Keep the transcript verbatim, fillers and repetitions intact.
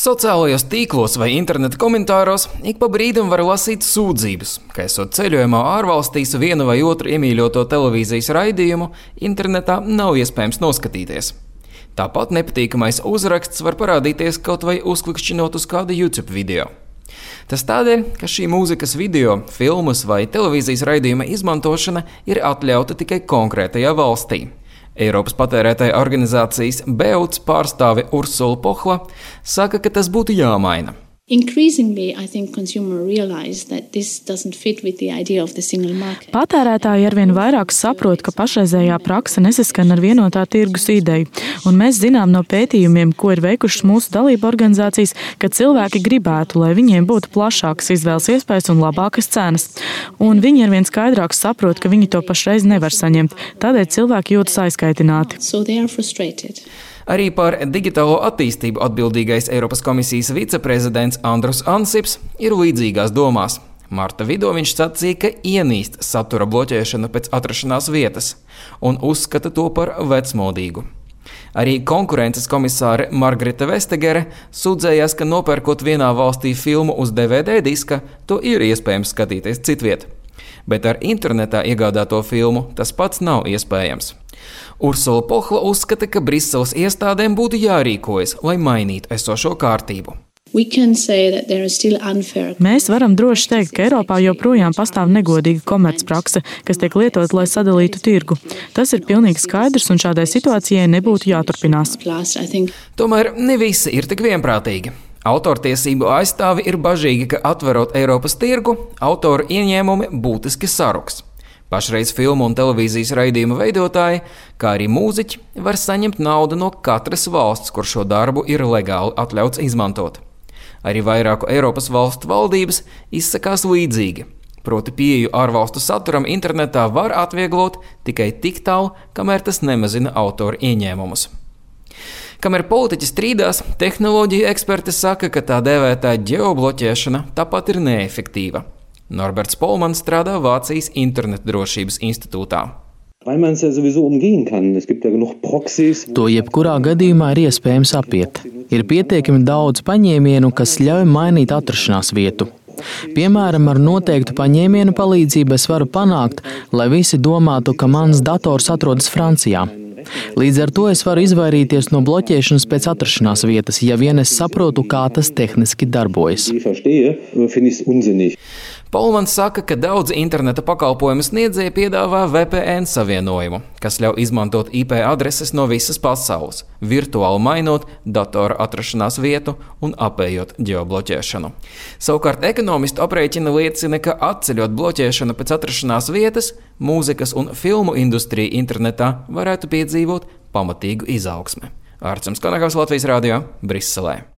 Sociālajos tīklos vai interneta komentāros ik pa brīdim var lasīt sūdzības, ka esot ceļojumā ārvalstīs vienu vai otru iemīļoto televīzijas raidījumu, internetā nav iespējams noskatīties. Tāpat nepatīkamais uzraksts var parādīties kaut vai uzklikšķinot uz kādu YouTube video. Tas tādēļ, ka šī mūzikas video, filmas vai televīzijas raidījuma izmantošana ir atļauta tikai konkrētajā valstī. Eiropas patērētāja organizācijas BEUC pārstāve Ursula Pohla saka, ka tas būtu jāmaina. Patērētāji arvien vairāk saprot, ka pašreizējā prakse nesaskan ar vienotā tirgus ideju, un mēs zinām no pētījumiem, ko ir veikušas mūsu dalību organizācijas, ka cilvēki gribētu, lai viņiem būtu plašākas izvēles iespējas un labākas cenas. Un viņi arvien skaidrāk saprot, ka viņi to pašreiz nevar saņemt, tādēļ cilvēki jūtas aizkaitināti. Arī par digitālo attīstību atbildīgais Eiropas komisijas viceprezidents Andrus Ansips ir līdzīgās domās. Marta vidū viņš sacīja, ka ienīst satura bloķēšanu pēc atrašanās vietas un uzskata to par vecmodīgu. Arī konkurences komisāre Margarita Vestegere sūdzējās, ka nopērkot vienā valstī filmu uz D V D diska, to ir iespējams skatīties citviet. Bet ar internetā iegādāto filmu tas pats nav iespējams. Ursula Pohla uzskata, ka Briseles iestādēm būtu jārīkojas, lai mainītu esošo kārtību. Mēs varam droši teikt, ka Eiropā joprojām pastāv negodīga komercprakse, kas tiek lietot, lai sadalītu tirgu. Tas ir pilnīgi skaidrs un šādai situācijai nebūtu jāturpinās. Tomēr ne visi ir tik vienprātīgi. Autortiesību aizstāvi ir bažīgi, ka atverot Eiropas tirgu, autoru ieņēmumi būtiski saruks. Pašreiz filmu un televīzijas raidījumu veidotāji, kā arī mūziķi, var saņemt naudu no katras valsts, kur šo darbu ir legāli atļauts izmantot. Arī vairāku Eiropas valstu valdības izsakās līdzīgi, proti pieeju ārvalstu saturam internetā var atvieglot tikai tik tālu, kamēr tas nemazina autoru ieņēmumus. Kamēr politiķi strīdās, tehnoloģiju eksperti saka, ka tā dēvētā ģeobloķēšana tāpat ir neefektīva. Norberts Polmans strādā Vācijas internetdrošības institūtā. To jebkurā gadījumā ir iespējams apiet. Ir pietiekami daudz paņēmienu, kas ļauj mainīt atrašanās vietu. Piemēram, ar noteiktu paņēmienu palīdzību es varu panākt, lai visi domātu, ka mans dators atrodas Francijā. Līdz ar to es varu izvairīties no bloķēšanas pēc atrašanās vietas, ja vien es saprotu, kā tas tehniski darbojas. Polmans saka, ka daudzi interneta pakalpojumu sniedzēji piedāvā V P N savienojumu, kas ļauj izmantot I P adreses no visas pasaules, virtuāli mainot datora atrašanās vietu un apējot ģeobloķēšanu. Savukārt ekonomistu aprēķina liecina, ka atceļot bloķēšanu pēc atrašanās vietas, mūzikas un filmu industrija internetā varētu piedzīvot pamatīgu izaugsmi. Ārcums Kanagavs, Latvijas radio, Briselē.